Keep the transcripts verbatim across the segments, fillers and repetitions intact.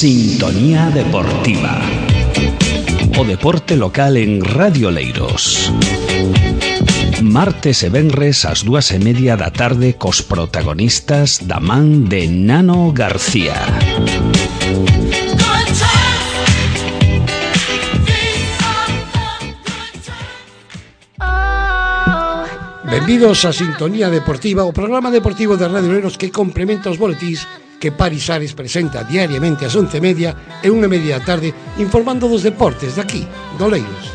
Sintonía Deportiva. O deporte local en Radio Oleiros. Martes e venres ás dúas e media da tarde cos protagonistas da man de Nano García. Benvidos a Sintonía Deportiva, o programa deportivo de Radio Oleiros que complementa os boletís que Paris Ares presenta diariamente ás once e media e unha e media da tarde informando dos deportes de aquí, do Oleiros.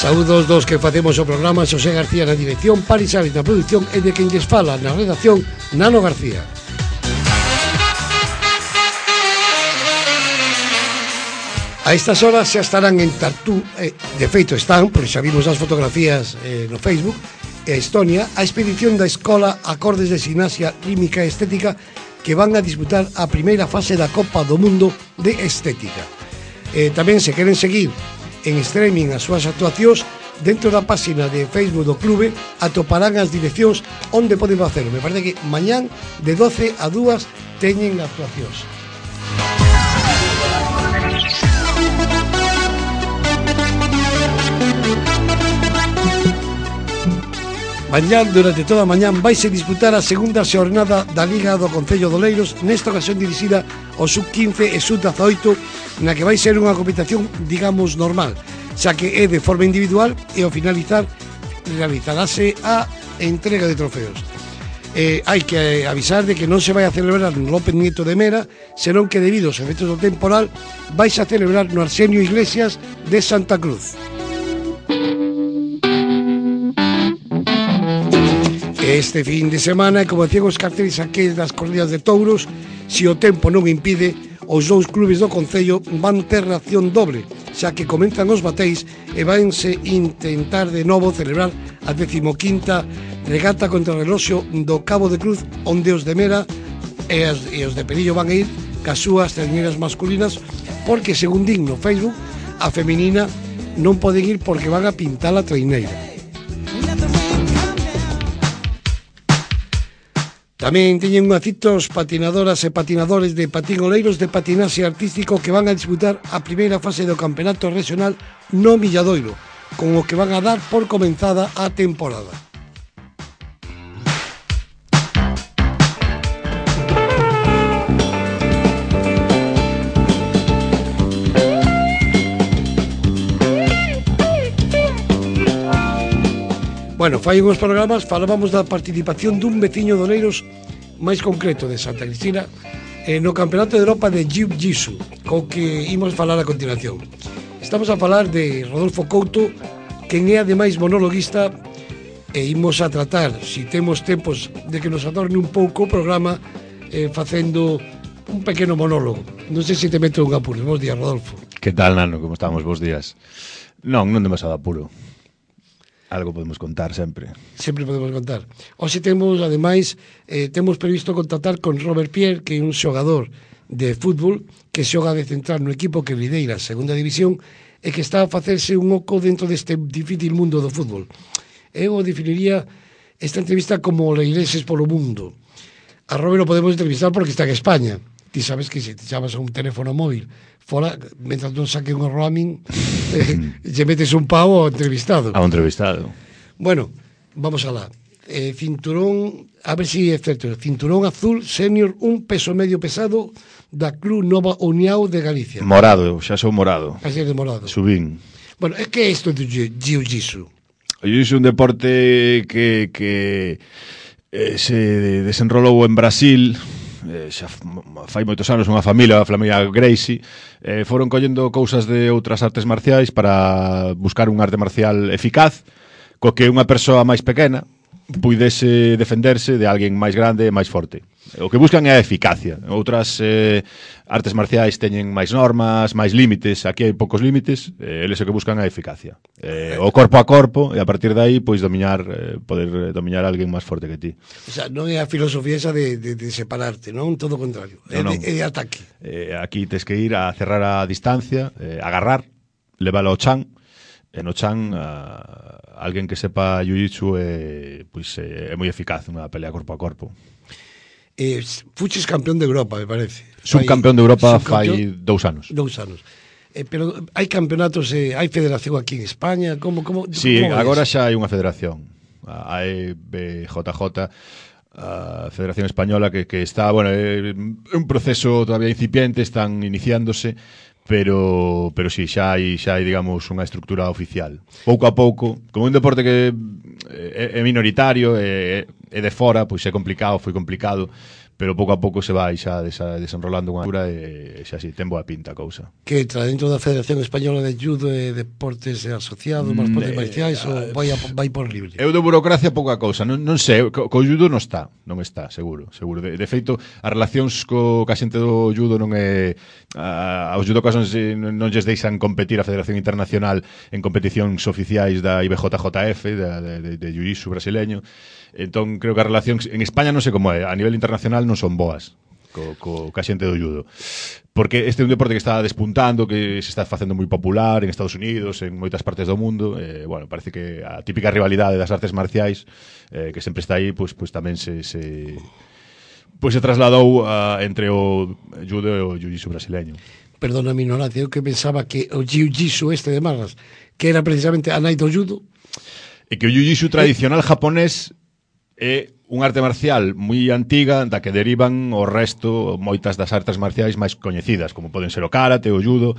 Saúdos dos que facemos o programa, Xosé García na dirección, Paris Ares na produción e de quen lles fala na redacción, Nano García. A estas horas xa estarán en Tartú, eh, de feito están, porque xa vimos as fotografías eh, no Facebook, e Estonia, a expedición da Escola Acordes de Gimnasia Rítmica e Estética que van a disputar a primeira fase da Copa do Mundo de Estética. Eh, tamén se queren seguir en streaming as súas actuacións, dentro da página de Facebook do clube atoparán as direccións onde poden facelo. Me parece que mañán de doce a dúas teñen actuacións. Mañán, durante toda a mañán, vaise disputar a segunda xornada da Liga do Concello de Oleiros, nesta ocasión dirixida ao sub quince e sub dezaoito, na que vai ser unha competición, digamos, normal, xa que é de forma individual e ao finalizar realizarase a entrega de trofeos. Eh, hai que avisar de que non se vai a celebrar no López Nieto de Mera, senón que debido aos efectos do temporal vais a celebrar no Arsenio Iglesias de Santa Cruz. Este fin de semana, como decían os carteles aqueles das corridas de touros, se o tempo non impide, os dous clubes do Concello van ter reacción doble, xa que comenzan os bateis e vanse intentar de novo celebrar a decimoquinta regata contra o reloxo do Cabo de Cruz, onde os de Mera e os, e os de Perillo van a ir cas súas traiñeiras masculinas, porque, según digno Facebook, a feminina non poden ir porque van a pintar a traiñeira. Tamén teñen unha cita os patinadoras e patinadores de patín Oleiros de patinaxe artístico que van a disputar a primeira fase do campeonato regional no Milladoiro, con o que van a dar por comenzada a temporada. Bueno, fai uns programas falábamos da participación dun veciño de Oleiros, máis concreto de Santa Cristina, eh, no Campeonato de Europa de Jiu-Jitsu, co que imos falar a continuación. Estamos a falar de Rodolfo Couto, quen é ademais monologuista, e imos a tratar, si temos tempos de que nos adorne un pouco o programa, eh, facendo un pequeno monólogo. Non sei se te meto un apuro. Bos días, Rodolfo. Que tal, Nano? Como estamos? Bos días. Non, non demasiado apuro. Algo podemos contar sempre. Sempre podemos contar. Hoxe temos, ademais, eh, temos previsto contactar con Robert Pierre, que é un xogador de fútbol que xoga de central no equipo que lideira a segunda división e que está a facerse un oco dentro deste difícil mundo do fútbol. Eu definiría esta entrevista como Oleireses polo mundo. A Robert o podemos entrevistar porque está en España. Ti sabes que se te chamas a un teléfono móvil fora, mentras non saque un roaming, eh, lle metes un pavo ao entrevistado. Ao entrevistado. Bueno, vamos alá. Eh, cinturón, a ver si é certo, cinturón azul senior, un peso medio pesado da Club Nova União de Galicia. Morado, xa sou morado. Así de morado. Subín. Bueno, é que é isto do jiu-jitsu? O jiu-jitsu é un deporte que, que eh, se desenrolou en Brasil, eh, xa fai moitos anos, unha familia, a familia Gracie, eh, foron collendo cousas de outras artes marciais para buscar un arte marcial eficaz, co que unha persoa máis pequena puidese defenderse de alguén máis grande e máis forte. O que buscan é a eficacia. Outras eh, artes marciais teñen máis normas, máis límites. Aquí hai poucos límites, eh, eles o que buscan é a eficacia. Eh, o corpo a corpo, e a partir de aí, pois, dominar, eh, poder dominar a alguén máis forte que ti. O sea, non é a filosofía esa de, de, de separarte, non? Todo o contrario. É, No, de, non. é de ataque. Eh, aquí tes que ir a cerrar a distancia, eh, agarrar, leválo ao chan, e no chan a alguén que sepa jiu-jitsu é, pois, é moi eficaz unha pelea corpo a corpo. eh, fuches campeón de Europa, me parece. Subcampeón de Europa fai subcampeón, dous anos. Dous anos. Eh, pero hai campeonatos, eh, hai federación aquí en España, como como Sí, como agora eso? xa hai unha federación, a E B J J, a Federación Española, que, que está, bueno, é un proceso todavía incipiente, están iniciándose, pero pero si sí, xa hai xa hai, digamos, unha estructura oficial. Pouco a pouco, como un deporte que é, é minoritario, é, é de fora, pois é complicado, foi complicado, pero pouco a pouco se vai xa desa, desenrolando unha altura e xa si, ten boa pinta a cousa. Que entra dentro da Federación Española de Judo e Deportes Asociados, máis deportes Mm, marciais, eh, ou vai, a, vai por libre? Eu de burocracia pouca cousa, non, non sei, co, co judo non está, non está, seguro, seguro. De, de feito, as relacións co ca xente do judo non é a, aos judocas non, se, non, non lles deixan competir a Federación Internacional en competicións oficiais da I B J J F, da, de, de, de jiu-jitsu brasileño. Entón, creo que as relacións en España non sei como é, a nivel internacional non son boas co, co, ca xente do judo. Porque este é un deporte que está despuntando, que se está facendo moi popular en Estados Unidos, en moitas partes do mundo. Eh, bueno, parece que a típica rivalidade das artes marciais, eh, que sempre está aí, pois, pois tamén se, se, pois se trasladou a, entre o judo e o jiu-jitsu brasileño. Perdona a mi ignorancia, eu que pensaba que o jiu-jitsu este de Marras, que era precisamente a nai do judo. E que o jiu-jitsu tradicional japonés é unha arte marcial moi antiga da que derivan o resto, moitas das artes marciais máis coñecidas, como poden ser o karate, o judo,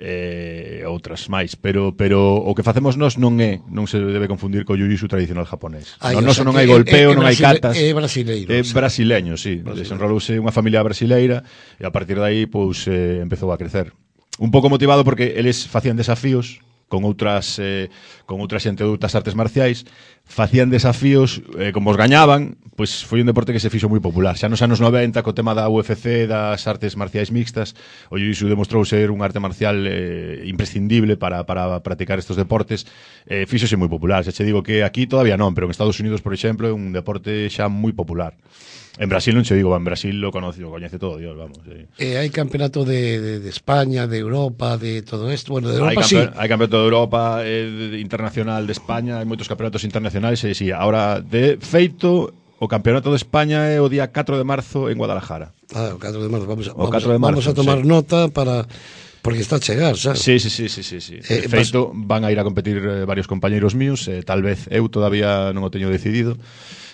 e eh, outras máis, pero pero o que facemos nós non é, non se debe confundir co jiu-jitsu tradicional japonés. Ai, Non, o noso sea, non que hai é- golpeo, é non hai brasile- catas. É brasileiro. É o sea. brasileño, sí. Brasileño. Desenrolouse unha familia brasileira e a partir de aí pois eh, empezou a crecer. Un pouco motivado porque eles facían desafíos con outras eh, con outra xente de outras artes marciais, facían desafíos, eh, como os gañaban, pois foi un deporte que se fixo moi popular. Xa nos anos noventa, co tema da U F C, das artes marciais mixtas, o jiu-jitsu demostrou ser unha arte marcial eh, imprescindible para, para practicar estos deportes. Eh, fíxose moi popular. Xa che digo que aquí todavía non, pero en Estados Unidos, por exemplo, é un deporte xa moi popular. En Brasil non che digo, en Brasil lo conoce, lo coñece todo Dios, vamos. Sí. Eh, hai campeonato de, de, de España, de Europa, de todo isto. Bueno, de Hai, Europa sí. campe hai campeonato de Europa, eh, de, internacional de España, hai moitos campeonatos internacionais, e si, ahora de feito o campeonato de España é o día catro de marzo en Guadalajara. Ah, o catro de marzo. Vamos, a- O vamos, catro de marzo, vamos a tomar sí. nota para... Porque está a chegar, sabes? Sí, sí, sí, sí, sí, sí. Eh, De feito, van a ir a competir eh, varios compañeiros míos, eh, tal vez eu todavía non o teño decidido.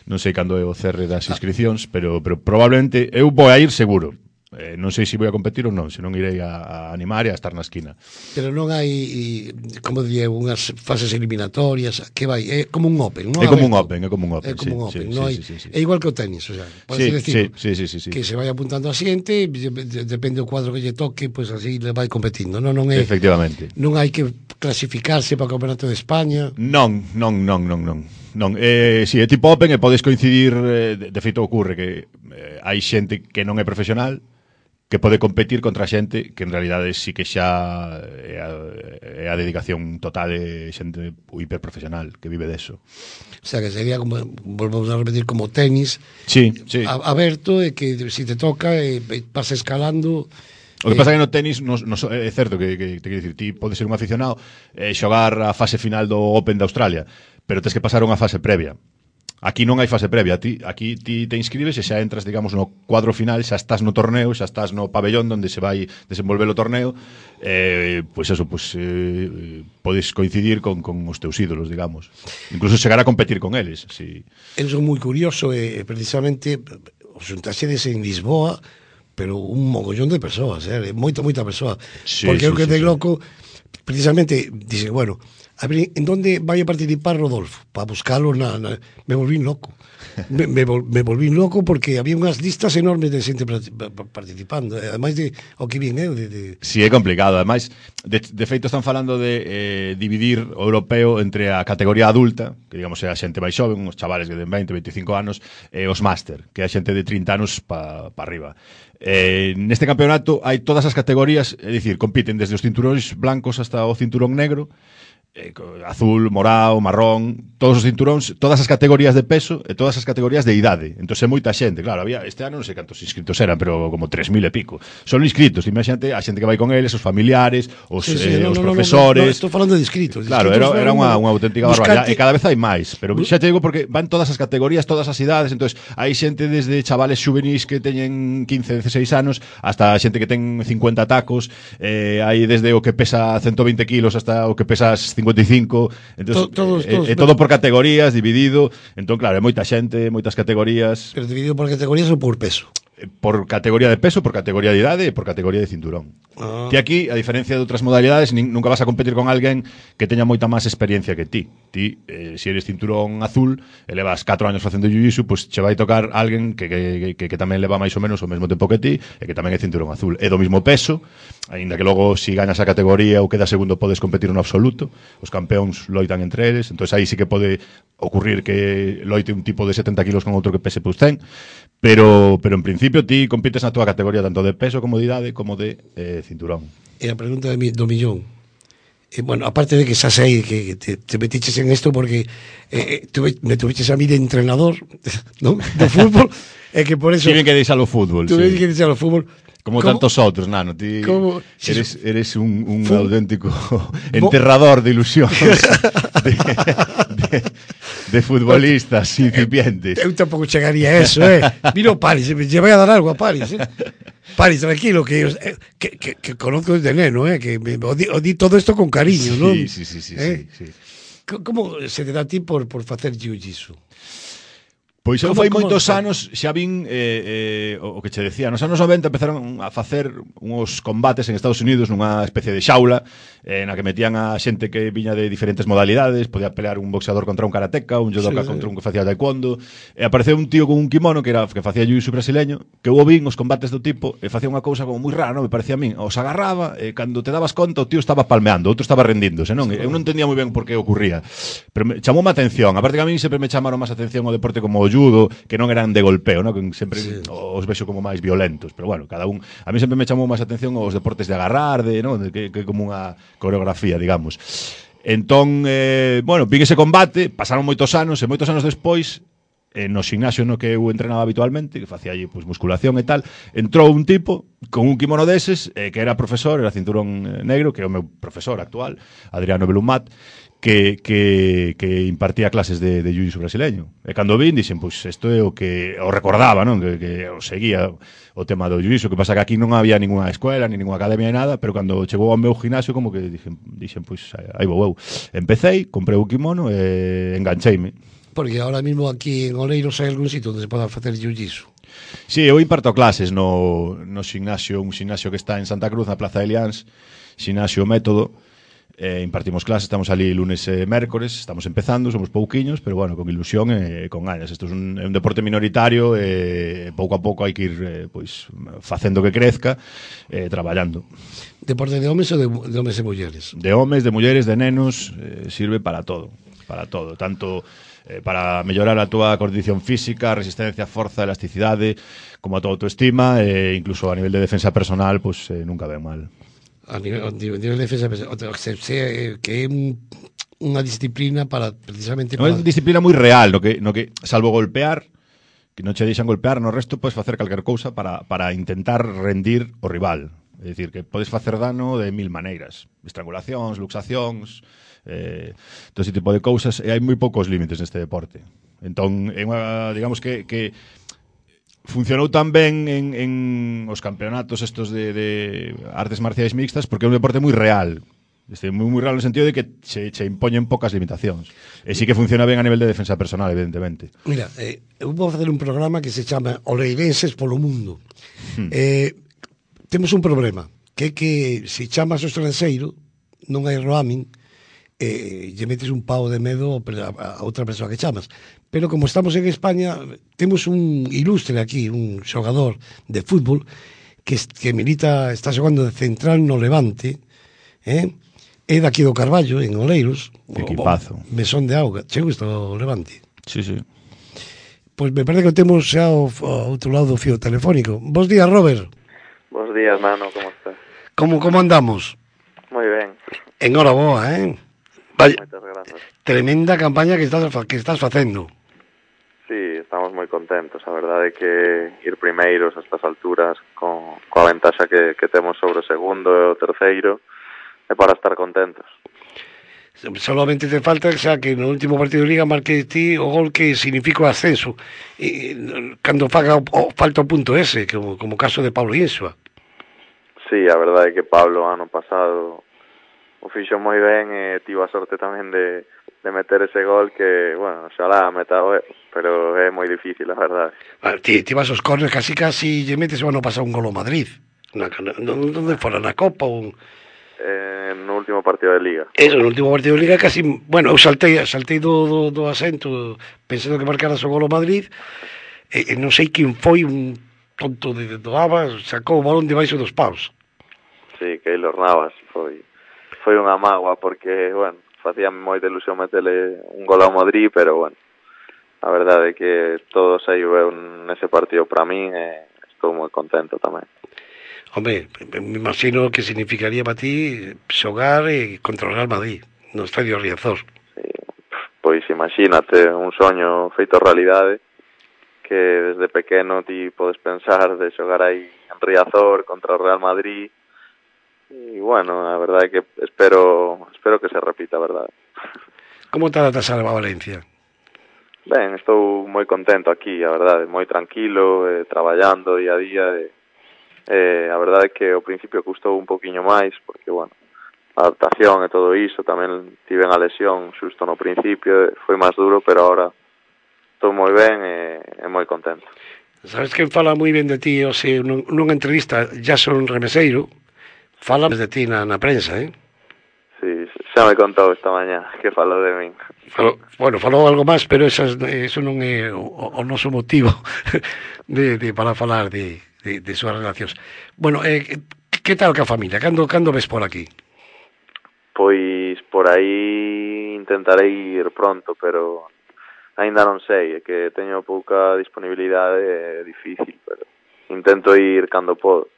Non sei cando é o cerre das inscripcións, pero, pero probablemente eu vou a ir seguro. Eh, non sei se vou a competir ou non, senón irei a, a animar e a estar na esquina. Pero non hai, e, como diría, unhas fases eliminatorias, que vai, é como un open, non? É como un Aberto. open, é como un open. É como sí, un open, sí, non sí, hai, sí, sí, sí. é igual que o tenis, o sea, pode Sí, decir, sí, sí, sí, sí, sí. que se vai apuntando a xente, de- de- depende do cuadro que lle toque, pois pues así le vai competindo, non, non é, Efectivamente. non hai que clasificarse para o Campeonato de España. Non, non, non, non, non. Non, eh, si é tipo open e podes coincidir, eh, de, de feito ocurre que eh, hai xente que non é profesional que pode competir contra xente que en realidade sí que xa é a, é a dedicación total de xente hiperprofesional que vive deso. O sea, que sería como, volvemos a repetir, como tenis, Sí, sí. a, aberto, e que se si te toca, e, e vas escalando. O que pasa é que no tenis nos, nos, é certo que, que te quero dicir, ti podes ser un aficionado e eh, xogar a fase final do Open de Australia, pero tens que pasar unha fase previa. Aquí non hai fase previa, ti, aquí ti te inscribes e xa entras, digamos, no cuadro final, xa estás no torneo, xa estás no pabellón onde se vai desenvolver o torneo, eh, pois eso, pois eh, podes coincidir con, con os teus ídolos, digamos. Incluso chegar a competir con eles, si. Eu son moi curioso, e precisamente os xuntaxedes en Lisboa, pero un mogollón de persoas, eh? moita, moita persoa. Sí, Porque sí, eu que sí, de sí. loco, precisamente, dice, bueno, a ver, en donde vai a participar Rodolfo? Para buscalo na, na... Me volví loco. Me, me, vol, me volví loco porque había unhas listas enormes de xente participando. Ademais de o que vin eu, de, de... Si, é complicado. Ademais, de, de feito están falando de eh, dividir o europeo entre a categoría adulta, que digamos é a xente máis xoven, os chavales que den veinte, veinticinco anos, e os máster, que é a xente de trinta anos para pa arriba. Eh, neste campeonato hai todas as categorías, é dicir, compiten desde os cinturóns blancos hasta o cinturón negro, eh, azul, morado, marrón, todos os cinturóns, todas as categorías de peso e todas as categorías de idade. Entón é moita xente, claro, había este ano non sei cantos inscritos eran, pero como tres mil e pico. Son inscritos, imagínate a xente que vai con eles, os familiares, os, sí, sí, eh, no, os no, profesores. No, no, no, estou falando de inscritos. De claro, inscritos era, era unha, unha auténtica barbaridade e cada vez hai máis, pero xa te digo porque van todas as categorías, todas as idades, entonces hai xente desde chavales xuvenís que teñen quince, dieciséis anos hasta xente que ten cincuenta tacos, eh, hai desde o que pesa ciento veinte kilos hasta o que pesas cincuenta e cinco. Entonces, to, todos, todos, é, é todo por categorías, dividido. Entón, claro, é moita xente, moitas categorías. Pero dividido por categorías ou por peso? Por categoría de peso, por categoría de idade e por categoría de cinturón. Ah. Ti aquí, a diferencia de outras modalidades, nin, nunca vas a competir con alguén que teña moita máis experiencia que ti. Ti, eh, se eres cinturón azul e levas catro anos facendo jiu-jitsu, pois pues che vai tocar alguén que, que, que, que tamén leva máis ou menos o mesmo tempo que ti e que tamén é cinturón azul. É do mismo peso, aínda que logo, si gañas a categoría ou quedas segundo, podes competir no absoluto. Os campeóns loitan entre eles, entón aí sí que pode ocurrir que loite un tipo de setenta kilos con outro que pese pues cen, pero, pero en principio ti compites na túa categoría tanto de peso como de idade como de eh, cinturón. E a pregunta de mi, do millón, eh, bueno, aparte de que xa sei que te, te metiches en esto porque eh, tuve, me tuviches a mí de entrenador, ¿no?, de fútbol, e eh, que por eso... Tiven que deixar o fútbol, tuve sí. que deixar o fútbol. Como ¿Cómo? Tantos outros, nano, ti ¿Cómo? eres, eres un, un auténtico enterrador de ilusións de, de, de futbolistas incipientes. Eu tampouco chegaría a eso, eh. Miro Paris, me llevai a dar algo a Paris, eh. Paris, tranquilo, que, que, que, que conozco desde neno, eh, que me, o, di, o di todo esto con cariño, sí, ¿no? Sí, sí, sí, sí, eh? sí, sí. Como se te dá a ti por, por facer jiu-jitsu? Pois eu fai moitos anos xa vin eh, eh, o que che decía, nos anos noventa empezaron a facer uns combates en Estados Unidos nunha especie de xaula eh, na que metían a xente que viña de diferentes modalidades, podía pelear un boxeador contra un karateca, un judoka sí, contra sí. un que facía taekwondo, e apareceu un tío con un kimono que era que facía jiu-jitsu brasileño, que eu vin os combates do tipo e facía unha cousa como moi rara, non me parecía a min, os agarraba e cando te dabas conta o tío estaba palmeando, outro estaba rendíndose, non? Sí. Eu non entendía moi ben por que ocurría, pero me, chamou a atención, aparte que a min sempre me chamaron máis atención o deporte como o judo, que non eran de golpeo, ¿no? Que sempre sí. os vexo como máis violentos, pero bueno, cada un, a mí sempre me chamou máis atención os deportes de agarrar, de, ¿no? de que, que como unha coreografía, digamos. Entón, eh, bueno, vin ese combate, pasaron moitos anos e moitos anos despois eh, no gimnasio no que eu entrenaba habitualmente, que facía allí pues, musculación e tal, entrou un tipo con un kimono deses, eh, que era profesor, era cinturón negro, que é o meu profesor actual, Adriano Belumat, que, que, que impartía clases de, de jiu-jitsu brasileño. E cando vin, dixen, pois, pues, isto é o que o recordaba, non? Que, que o seguía o tema do jiu-jitsu, que pasa que aquí non había ninguna escuela, ni ninguna academia, ni nada, pero cando chegou ao meu gimnasio, como que dixen, dixen pois, pues, aí vou eu. Empecéi, comprei o kimono e engancheime. Porque ahora mismo aquí en Oleiros hai algún sitio onde se poda facer jiu-jitsu. Sí, eu imparto clases no, no gimnasio, un gimnasio que está en Santa Cruz, na Plaza de Liáns, gimnasio Método. Eh, impartimos clases, estamos ali lunes e mércores, estamos empezando, somos pouquiños, pero bueno, con ilusión e con ganas. Isto é un, é un deporte minoritario e pouco a pouco hai que ir eh, pois, facendo que crezca, eh, traballando. Deporte de homes ou de, de homes e mulleres? De homes, de mulleres, de nenos, eh, sirve para todo, para todo, tanto eh, para mellorar a túa condición física, resistencia, forza, elasticidade, como a túa autoestima, e eh, incluso a nivel de defensa personal, pues eh, nunca ven mal. A nivel, a nivel de defensa se, se, que é un, unha disciplina para precisamente para... Non é unha disciplina moi real, no que, no que salvo golpear, que non che deixan golpear, no resto podes facer calquer cousa para, para intentar rendir o rival. É dicir, que podes facer dano de mil maneiras, estrangulacións, luxacións, eh, todo ese tipo de cousas, e hai moi poucos límites neste deporte. Entón, é unha, digamos que, que funcionou tan ben en, en os campeonatos estos de, de artes marciais mixtas porque é un deporte moi real. Este, moi, moi real no sentido de que che, che impoñen poucas limitacións. E sí que funciona ben a nivel de defensa personal, evidentemente. Mira, eh, eu vou facer un programa que se chama Oleirenses polo Mundo. Hmm. Eh, temos un problema, que é que se chamas o estranxeiro, non hai roaming, eh, lle metes un pau de medo a, a outra persoa que chamas. Pero como estamos en España, temos un ilustre aquí, un xogador de fútbol que, que milita, está xogando de central no Levante, eh? É daqui do Carballo, en Oleiros. Que equipazo. Mesón de auga. Che gusta o Levante? Sí, sí. Pois me parece que temos xa o, o outro lado do fío telefónico. Bos días, Robert. Bos días, mano, como estás? Como, como andamos? Moi ben. Enhoraboa, eh? Vaya, Moitas grazas. tremenda campaña que estás, que estás facendo. Sí, estamos moi contentos. A verdade é que ir primeiros a estas alturas con coa ventaxa que, que temos sobre o segundo e o terceiro é para estar contentos. Solamente te falta xa que no último partido de Liga marque ti o gol que significa o ascenso e, cando faga o, o, falta o punto ese, como, como caso de Pablo Insua. Sí, a verdade é que Pablo ano pasado o fixo moi ben e tivo a sorte tamén de, de meter ese gol que, bueno, xalá meta, pero é moi difícil, a verdade. Ah, ti, ti vas aos corners casi casi lle metes o ano pasado un gol ao Madrid. Na, na, onde fora, na Copa ou... Eh, no último partido de Liga. Eso, no último partido de Liga casi... Bueno, eu saltei, saltei do, do, do asento pensando que marcaras o gol ao Madrid e, e non sei quen foi un tonto de, do Aba, sacou o balón debaixo dos paus. Sí, Keylor Navas foi foi unha mágoa porque, bueno, facía moita ilusión meterle un gol ao Madrid, pero, bueno, a verdade é que todo saiu ben nese partido para min e estou moi contento tamén. Hombre, me imagino que significaría para ti xogar e controlar Madrid no Estadio Riazor. Sí, pois imagínate, un soño feito realidade que desde pequeno ti podes pensar de xogar aí en Riazor contra o Real Madrid. E, bueno, a verdade é que espero espero que se repita, a verdade. Como está a Salva Valencia? Ben, estou moi contento aquí, a verdade, moi tranquilo, eh, traballando día a día. E, eh, a verdade é que ao principio custou un poquinho máis, porque, bueno, a adaptación e todo iso, tamén tive a lesión xusto no principio, foi máis duro, pero ahora estou moi ben e, e moi contento. Sabes quen fala moi ben de ti, o sea, nunha entrevista, Jason Remeseiro, fala de ti na, na prensa, eh? Sí, xa me contou esta mañá que falou de min. Falou, bueno, falou algo máis, pero esas, eso non é o, o noso motivo de, de, para falar de, de, de súas relacións. Bueno, eh, que tal ca familia? Cando, cando ves por aquí? Pois por aí intentarei ir pronto, pero aínda non sei, é que teño pouca disponibilidade, é difícil, pero intento ir cando podo.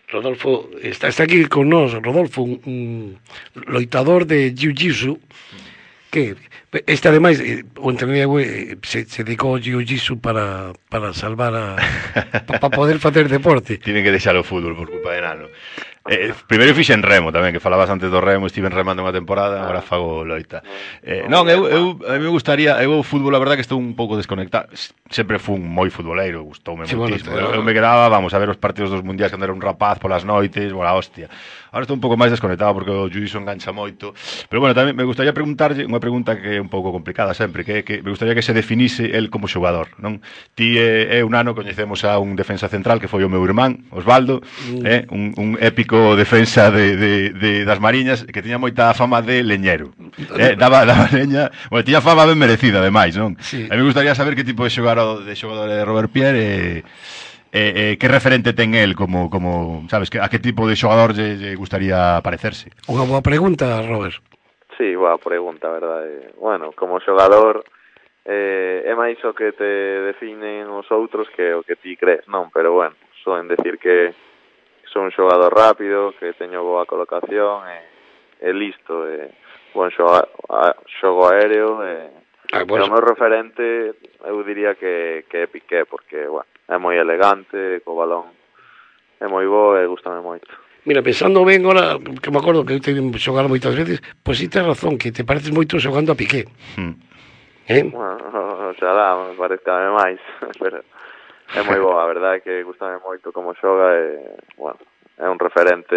Rodolfo, está, está aquí con nós, Rodolfo, un, un loitador de jiu-jitsu, que este ademais, o entrenador se, se dedicou ao jiu-jitsu para, para salvar a... para poder facer deporte. Tienen que deixar o fútbol por culpa de Nano. Eh, primeiro fixen remo tamén, que falabas antes do remo, estive remando unha temporada, agora fago loita. Eh, non, eu, eu, a mí me gustaría, eu o fútbol, a verdade que estou un pouco desconectado. Sempre fun moi futboleiro, gustoume sí, moitísimo. Bueno, eu, eu me quedaba, vamos, a ver os partidos dos mundiais cando era un rapaz polas noites, bola hostia. Agora estou un pouco máis desconectado porque o jiu-jitsu engancha moito. Pero bueno, tamén me gustaría preguntarlle unha pregunta que é un pouco complicada sempre, que, que me gustaría que se definise el como xogador, non? Ti e, e un ano coñecemos a un defensa central que foi o meu irmán, Osvaldo, mm. eh, un, un épico defensa de, de, de das Mariñas que tiña moita fama de leñero. Eh, daba, daba leña, bueno, tiña fama ben merecida ademais, non? Sí. A mí me gustaría saber que tipo de xogador de xogador de Robert Pierre e Eh, eh, que referente ten el como, como sabes, que, a que tipo de xogador lle, lle gustaría parecerse? Unha boa pregunta, Robert. Sí, boa pregunta, verdade. Bueno, como xogador eh, é máis o que te definen os outros que o que ti crees, non? Pero bueno, soen decir que son un xogador rápido, que teño boa colocación e, e listo, e bon xogo, a, xogo aéreo e, ah, bueno. E o meu referente eu diría que, que é Piqué, porque, bueno, é moi elegante, co balón é moi bo e gustame moito. Mira, pensando ben agora, que me acordo que eu teño xogado moitas veces, pois si tes razón, que te pareces moito xogando a Piqué. Hmm. Eh? Bueno, xa lá, me parezcame máis, pero é moi bo, a verdade é que gustame moito como xoga e, bueno, é un referente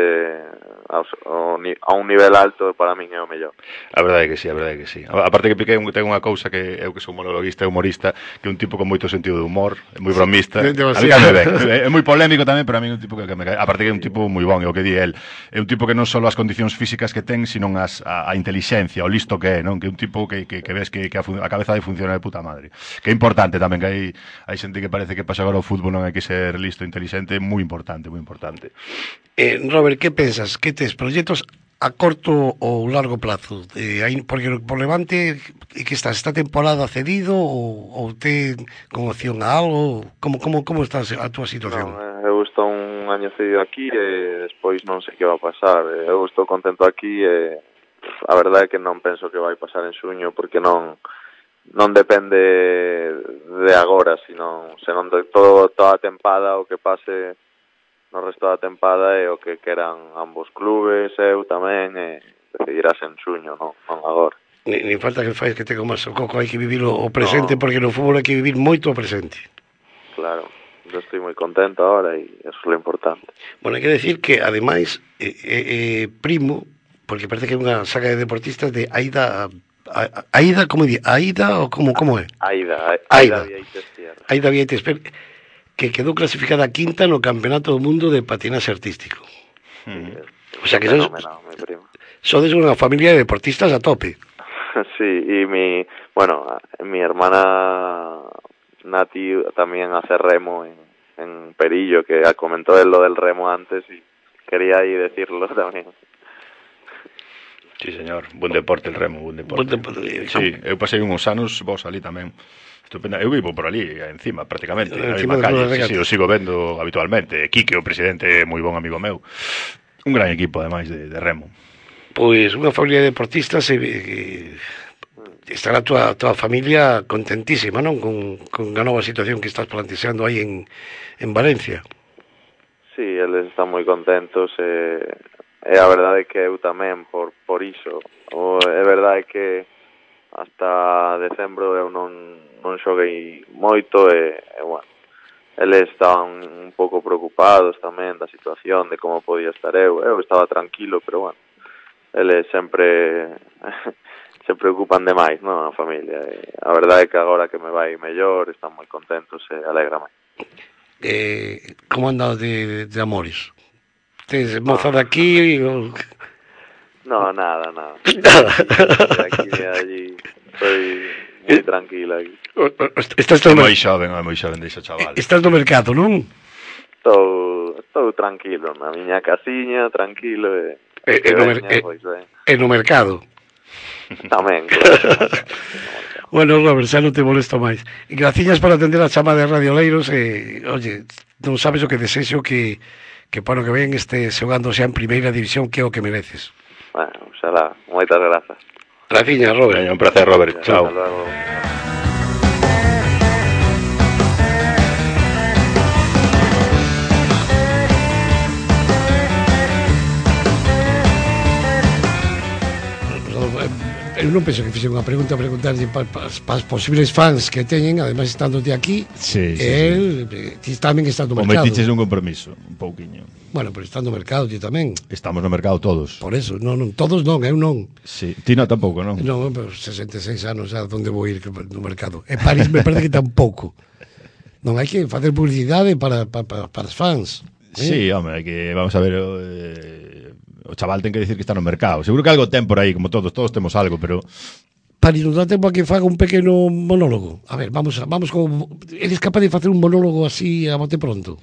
a, a un nivel alto, para min é o mellor. A verdade é que sí, a verdade é que sí. Aparte que Piqué ten unha cousa que eu que sou monologuista e humorista, que é un tipo con moito sentido de humor, é moi bromista. Sí, a mí me ben. É moi polémico tamén, pero a mí é un tipo que me cae. Aparte que é un tipo moi bon, é o que di el. É un tipo que non só as condicións físicas que ten, sino as, a, a inteligencia, o listo que é, non? Que é un tipo que, que, que ves que, que a, a cabeza de funciona de puta madre. Que é importante tamén, que hai, hai xente que parece que pasa agora o fútbol non hai que ser listo, inteligente, moi importante, moi importante. Eh, Robert, que pensas? Que tes proxectos a corto ou largo plazo? Eh, hai, porque por Levante que estás esta temporada cedido ou, ou te con opción a algo? Como, como, como estás a túa situación? Non, eu estou un año cedido aquí e despois non sei que va a pasar. Eu estou contento aquí e a verdade é que non penso que vai pasar en xuño, porque non non depende de agora, sino senón de todo, toda a tempada, o que pase no resto da tempada é o que queran ambos clubes, eu tamén, e decidirás en xuño, non, non agora. Ni, ni falta que fais que te comas o coco, hai que vivir o, o presente, no. Porque no fútbol hai que vivir moito o presente. Claro, eu estou moi contento ahora e eso é lo importante. Bueno, hai que decir que, ademais, eh, eh, primo, porque parece que é unha saga de deportistas de Aida... Aida, como di? Aida ou como, como é? Aida, Aida Vieites Tierra. Aida Vieites, que quedou clasificada quinta no Campeonato do Mundo de Patinaxe Artístico. Sí, o sea que sodes, sodes unha familia de deportistas a tope. Sí, y mi, bueno, mi hermana Nati también hace remo en, en Perillo, que comentó él lo del remo antes y quería ahí decirlo también. Sí, señor, buen deporte el remo, buen deporte. Buen deporte. Sí, eu pasei uns anos, vos ali tamén. Estupenda. Eu vivo por ali, encima, prácticamente. Encima na calle, sí, sí, o sigo vendo habitualmente. Quique, o presidente, é moi bon amigo meu. Un gran equipo, ademais, de, de remo. Pois unha familia de deportistas e, e estará a tua, tua familia contentísima, non? Con, con a nova situación que estás planteando aí en, en Valencia. Sí, eles están moi contentos e, e a verdade é que eu tamén por, por iso. O, é verdade que hasta decembro eu non, non xoguei moito e, e bueno, eles estaban un pouco preocupados tamén da situación, de como podía estar eu. Eu estaba tranquilo, pero bueno, eles sempre se preocupan demais, non, a familia. E a verdade é que agora que me vai mellor, están moi contentos e alegrame. Eh, como anda de, de amores? Tes moza de aquí ou... No, nada, nada. De aquí, de allí, estoy moi tranquila aquí. Estás é moi xoven, é moi xoven deixa chaval. Estás no mercado, non? Estou, estou tranquilo, na miña casiña, tranquilo e... E, e, no, mer e, pois, e no mercado. Tamén, claro. Bueno, Robert, xa non te molesto máis. E graciñas por atender a chama de Radio Leiros e, oye, non sabes o que desexo que, que para o que ven este xogando xa en primeira división, que é o que mereces. Bueno, xalá, moitas grazas. Graciñas, Robert. Un placer, Robert. Chao. Hasta luego. Eu non penso que fixe unha pregunta a preguntarlle para pa, pa, os posibles fans que teñen, ademais estando de aquí, sí, sí, el sí. Ti tamén está no mercado. O metiches un compromiso, un pouquiño. Bueno, pero está no mercado, ti tamén. Estamos no mercado todos. Por eso, non, non, todos non, eu non. Sí, ti non tampouco, non? Non, pero sesenta e seis anos, a onde vou ir no mercado. En París me parece que tampouco. Non hai que facer publicidade para, para, para, para os fans. Eh? Sí, home, hai que, vamos a ver... Eh... O chaval ten que decir que está no mercado. Seguro que algo ten por aí, como todos, todos temos algo, pero... Paris, non dá tempo a que faga un pequeno monólogo. A ver, vamos a, vamos con... Eres capaz de facer un monólogo así a bote pronto?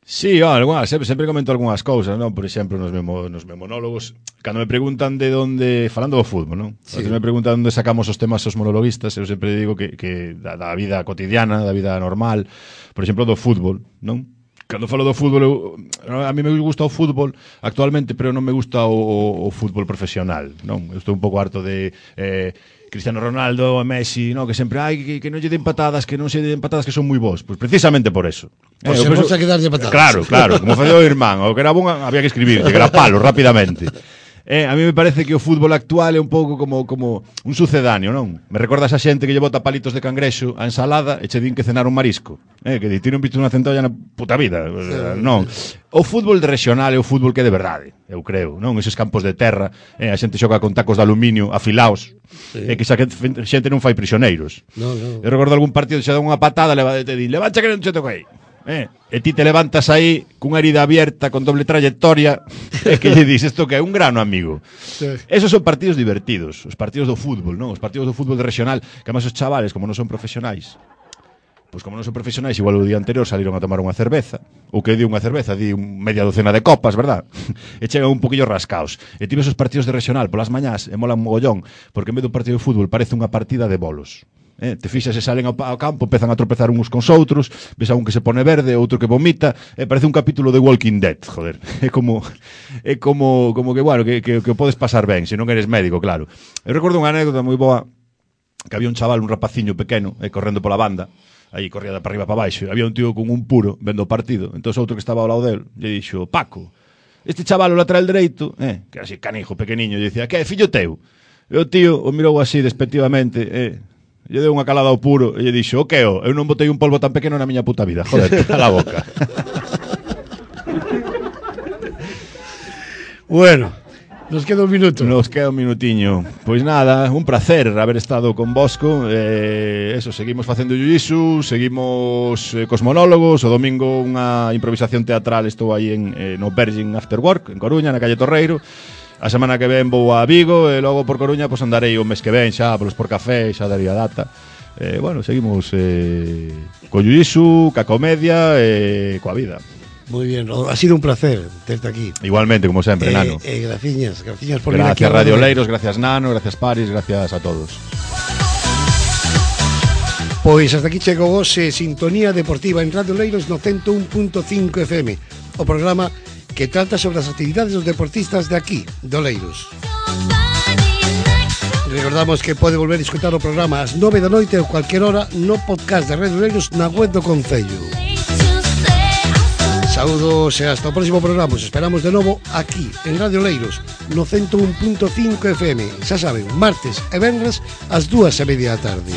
Sí, oh, algunas, sempre, sempre comento algunhas cousas, non? Por exemplo, nos meus, nos meus monólogos, cando me preguntan de onde... Falando do fútbol, non? Sí. Cando me preguntan onde sacamos os temas os monologuistas, eu sempre digo que, que da, da vida cotidiana, da vida normal, por exemplo, do fútbol, non? Cando falo do fútbol, eu, a mí me gusta o fútbol actualmente, pero non me gusta o, o, o fútbol profesional, non? Eu estou un pouco harto de eh, Cristiano Ronaldo, Messi, non? Que sempre, ai, que, que non lle den patadas, que non se den patadas, que son moi bons. Pois precisamente por eso. Pois eh, se penso, que darlle patadas. Claro, claro, como facía o irmán, o que era bon había que escribir, que era palo, rapidamente. Eh, a mí me parece que o fútbol actual é un pouco como como un sucedáneo, non? Me recorda esa xente que lle bota palitos de cangrexo a ensalada e che din que cenar un marisco. Eh, que di, ti non viste unha centolla na puta vida. Sí, non. O fútbol de regional é o fútbol que é de verdade, eu creo, non? Eses campos de terra, eh, a xente xoga con tacos de aluminio afilaos, sí. E que xa que xente non fai prisioneiros. No, no. Eu recordo algún partido que xa dá unha patada, leva, te di, levancha que non che toquei. Eh, e ti te levantas aí cunha herida abierta con doble trayectoria e que lle dis isto que é un grano, amigo. Sí. Esos son partidos divertidos, os partidos do fútbol, non? Os partidos do fútbol de regional, que además os chavales, como non son profesionais, pois como non son profesionais, igual o día anterior saliron a tomar unha cerveza, ou que di unha cerveza, di un media docena de copas, verdad? E chegan un poquillo rascaos. E ti ves os partidos de regional polas mañás e molan mogollón, porque en vez dun partido de fútbol parece unha partida de bolos. eh? Te fixas se salen ao, ao campo, empezan a tropezar uns cons outros, ves a un que se pone verde, outro que vomita, eh, parece un capítulo de Walking Dead, joder. É como é como como que, bueno, que, que, que podes pasar ben, se non eres médico, claro. Eu recordo unha anécdota moi boa, que había un chaval, un rapaciño pequeno, eh, correndo pola banda, aí corría de para arriba para baixo, había un tío con un puro vendo o partido, entón outro que estaba ao lado del, lle dixo, Paco, este chaval o lateral dereito, eh, que era así canijo, pequeniño, lle dicía, que é, fillo teu? E o tío o mirou así despectivamente, eh, lle deu unha calada ao puro e lle dixo, o que o, eu non botei un polvo tan pequeno na miña puta vida, joder, a la boca. Bueno, nos queda un minuto. Nos queda un minutiño. Pois nada, un placer haber estado con Bosco. Eh, eso, seguimos facendo jiu-jitsu, seguimos eh, cos monólogos. O domingo unha improvisación teatral, estou aí en, eh, no Virgin After Work, en Coruña, na calle Torreiro. A semana que ven vou a Vigo e logo por Coruña pois andarei o mes que ven xa, polos por café, xa daría data. Eh, bueno, seguimos eh, co jiu-jitsu, ca comedia e eh, coa vida. Muy bien, ha sido un placer tenerte aquí. Igualmente, como sempre, eh, Nano. Eh, graciñas, graciñas por gracias venir aquí a Radio Leiros, gracias Nano, gracias Paris, gracias a todos. Pois hasta aquí chegou hoxe Sintonía Deportiva en Radio Leiros no ciento un punto cinco F M, o programa que trata sobre as actividades dos deportistas de aquí, do Leiros. Recordamos que pode volver a escutar o programa ás nove da noite ou cualquier hora no podcast de Radio Leiros na web do Concello. Saúdos e hasta o próximo programa. Os esperamos de novo aquí en Radio Leiros no ciento un punto cinco F M. Xa saben, martes e venres ás dúas e media da tarde.